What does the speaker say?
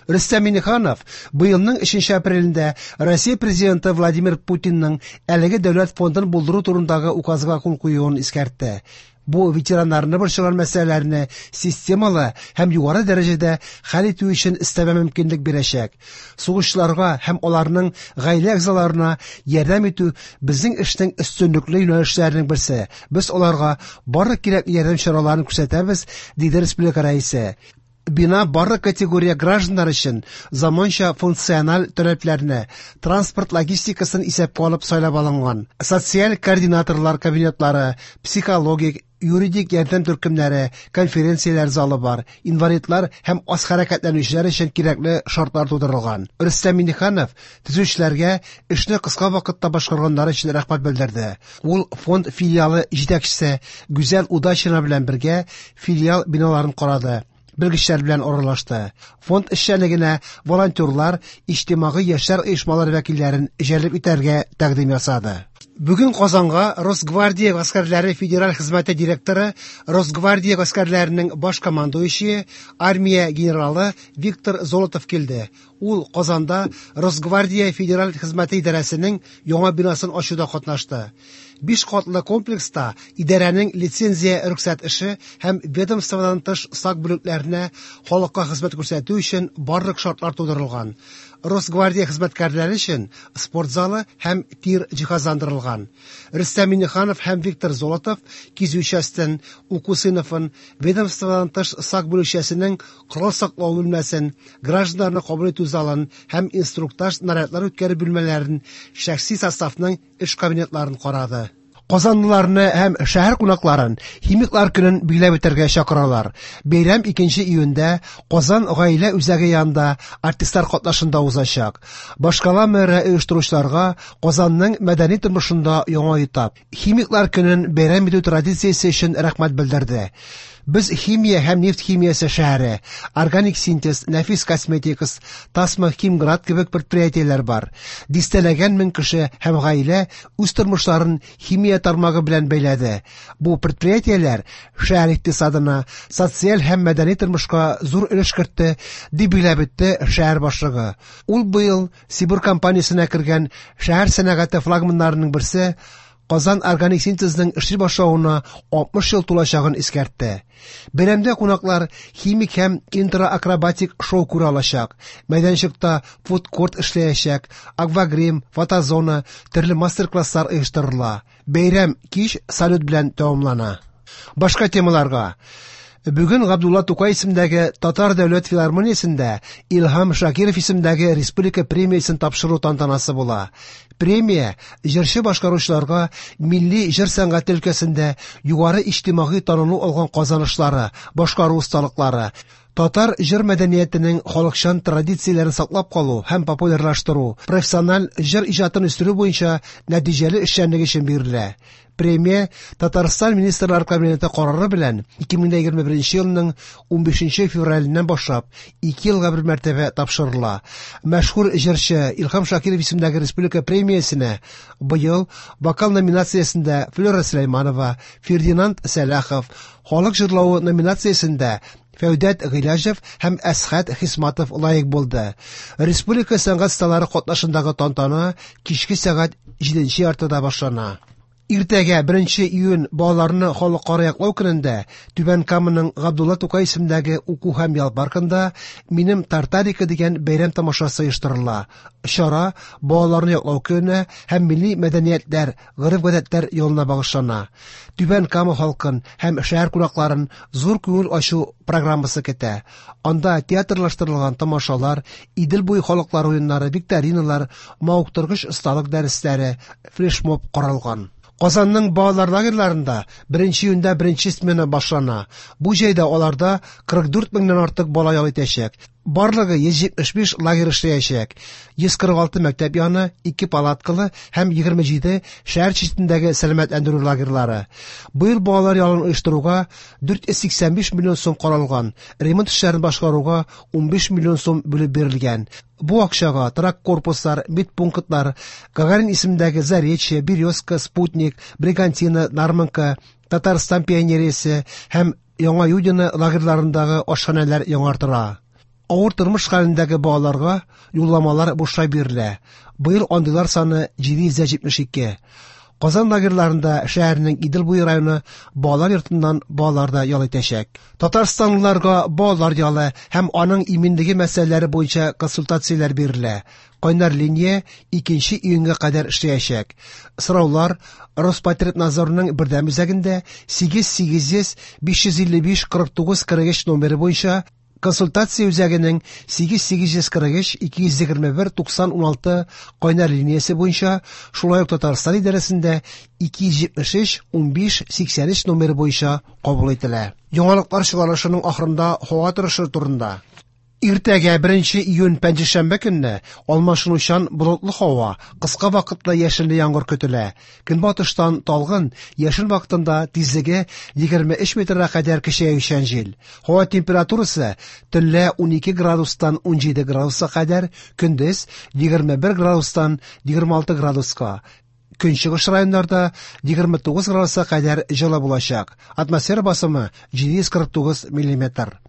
Рөстәм Миңнеханов быелның 3 апрелендә Россия Президенты Владимир Путинның әлеге дәүләт фондын булдыру турындагы указга кул куюын искәртте. Бу ветераннарны борчыган мәсьәләләрне системалы һәм югары дәрәҗәдә хәл итү өчен өстәмә мөмкинлек бирәчәк. Сугышчыларга һәм аларның гаилә әгъзаларына ярдәм итү безнең эшнең өстенлекле юнәлешләренең берсе. Без аларга барлык кирәкле ярдәм чараларын күрсәтәбез, диде республика Рәисе. Бина барлык категория гражданнар өчен заманча функциональ таләпләрне, транспорт логистикасын исәпкә алып сайлап алынган. Социаль координаторлар кабинетлары, психологик, юридик ярдәм төркемнәре, конференцияләр залы бар, инвалидлар һәм аз хәрәкәтләнүчеләр өчен кирәкле шартлар тудырылган. Рөстәм Миңнеханов төзүчеләргә эшне кыска вакытта башкарганнары өчен рәхмәт белдерде. Ул фонд филиалы җитәкчесе Гүзәл Удачина белән бергә филиал биналарын карады, белгечләр белән аралашты. Фонд эшчәнлегенә волонтерлар, иҗтимагый яшьләр оешмалары вәкилләрен җәлеп итәргә тәкъдим ясады. Бүген Казанга Росгвардия гаскәрләре федераль хезмәте директоры, Росгвардия гаскәрләренең баш командующие, армия генералы Виктор Золотов килде. Ул Казанда Росгвардия федераль хезмәте идарәсенең яңа бинасын ачуда катнашты. Биш катлы комплекста идарәнең лицензия рөхсәт эше һәм ведомстводан тыш сак бүлекләренә халыкка хезмәт күрсәтү өчен барлык шартлар тудырылган. Росгвардия хезмәткәрләре өчен спорт залы һәм тир җиһазландырылган. Рөстәм Миңнеханов һәм Виктор Золотов кизү частен, уку сыйныфын, ведомстводан тыш сак бүлекчәсенең корал саклау бүлмәсен, гражданнарны кабул итү залын һәм инструктаж нарядлар үткәрү бүлмәләрен, шәхси составның эш кабинетларын карады. Казанлыларны һәм шәһәр кунакларын Химиклар көнен билгеләп үтәргә чакыралар. Бәйрәм 2 июньдә Казан гаилә үзәге янында артистлар катнашында узачак. Башкала мэры оештыручыларга Казанның мәдәни тормышында яңа этап Химиклар көнен бәйрәм итү традициясе өчен рәхмәт белдерде. Без химия һәм нефть химиясе шәһәре, органик синтез, нәфис косметикас, Тасма Химград кебек предприятиеләр бар. Дистәләгән мең кеше һәм гаилә үз тормышларын химия тармагы белән бәйләде. Бу предприятиеләр шәһәр икътисадына, социаль һәм мәдәни тормышка зур өлеш кертте, дип билгеләп үтте шәһәр башлыгы. Ул быел Сибур компаниясенә кергән шәһәр сәнәгате флагманнарының берсе Казан органик синтезның эшли башлавына 60 ел тулачагын искәртте. Бәйрәмдә кунаклар химик һәм интроакробатик шоу күрә алачак. Мәйданчыкта фуд-корт эшләячәк, аквагрим, фотозона, төрле мастер-класслар оештырыла. Бәйрәм кич салют белән тәмамлана. Башка темаларга. Бүген Габдулла Тукай исемендәге Татар дәүләт филармониясендә Илһам Шакиров исемендәге республика премиясен тапшыру тантанасы була. Премия җырчы башкаручыларга милли җыр сәнгате өлкәсендә югары иҗтимагый танылу алган казанышлары, башкару осталыклары, татар җыр мәдәниятенең халыкчан традицияләрен саклап калу һәм популярлаштыру, профессиональ җыр иҗатын үстерү буенча нәтиҗәле эшчәнлек өчен бирелә. Премия Татарстан Министрлар Кабинеты карары белән 2021 елның 15 февраленнән башлап 2 елга бер мәртәбә тапшырыла. Мәшһүр җырчы Илһам Шакиров исемендәге республика премиясенә быел вокал номинациясендә Флера Сөләйманова, Фердинанд Сәлахов, халык җырлавы номинациясендә Фәүдәт Гыйләҗев һәм Әсхәт Хисматов лаек булды. Республика сәнгать осталары катнашындагы тантана кичке сәгать 7:30 башлана. Иртәгә 1 июнь балаларны халыкара яклау көнендә Түбән Каманың Габдулла Тукай исемендәге уку һәм ял паркында Минем Тартарика дигән бәйрәм тамашасы оештырыла. Чара балаларны яклау көненә һәм милли мәдәниятләр, гореф-гадәтләр елына багышлана. Түбән Кама халкын һәм шәһәр кунакларын зур күңел ачу программасы көтә. Анда театрлаштырылган тамашалар, Идел буе халыклар уеннары, викториналар, мавыктыргыч осталык дәресләре, флешмоб каралган. Казанның балалар лагерьларында 1 июньдә беренче смена башлана. Бу җәйдә аларда 44 меңнән артык бала ял итәчәк. Барлыгы 175 лагерь эшләячәк. 146 мәктәп яны, 2 палаткалы һәм 27 шәһәр читендәге сәламәтләндерү лагерьлары. Быел балалар ялын оештыруга 485 миллион сум каралган. Ремонт эшләрен башкаруга 15 миллион сум бүлеп бирелгән. Бу акчага торак корпуслар, медпунктлар, Гагарин исемендәге Заречье, Березка, Спутник, Бригантина, Нармонка, Татарстан пионериясе һәм Яңа Юдино лагерьларындагы ашханәләр яңартыла. Авыр тормыш хәлендәге балаларга юлламалар бушлай бирелә. Быел андыйлар саны 772. Казан лагерьларында шәһәрнең Идел буе районы балалар йортыннан балалар да ял итәчәк. Татарстанлыларга балалар ялы һәм аның иминлеге мәсьәләләре буенча консультацияләр бирелә. Кайнар линия 2 июньгә кадәр эшләячәк. Сораулар Роспотребнадзорның бердәм үзәгендә 8800 555 49 43 номеры буенча, консультация үзәгенең 8843 221 90 16 кайнар линиясе буенча, шулай ук Татарстан идарәсендә 273 15 83 номеры буенча кабул ителә. Яңалыклар чыгарылышының ахырында һава торышы турында. Иртәгә 1 июнь пәнҗешәмбе көнне алмашынучан болытлы һава, кыска вакытлы яшенле яңгыр көтелә. Көнбатыштан талгын, яшен вакытында тизлеге 23 метрга кадәр көчәючән җил. Һава температурасы төнлә 12 градустан 17 градуска кадәр, көндез 21 градустан 26 градуска. Көнчыгыш районнарда 29 градуска кадәр җылы булачак. Атмосфера басымы 749 миллиметр.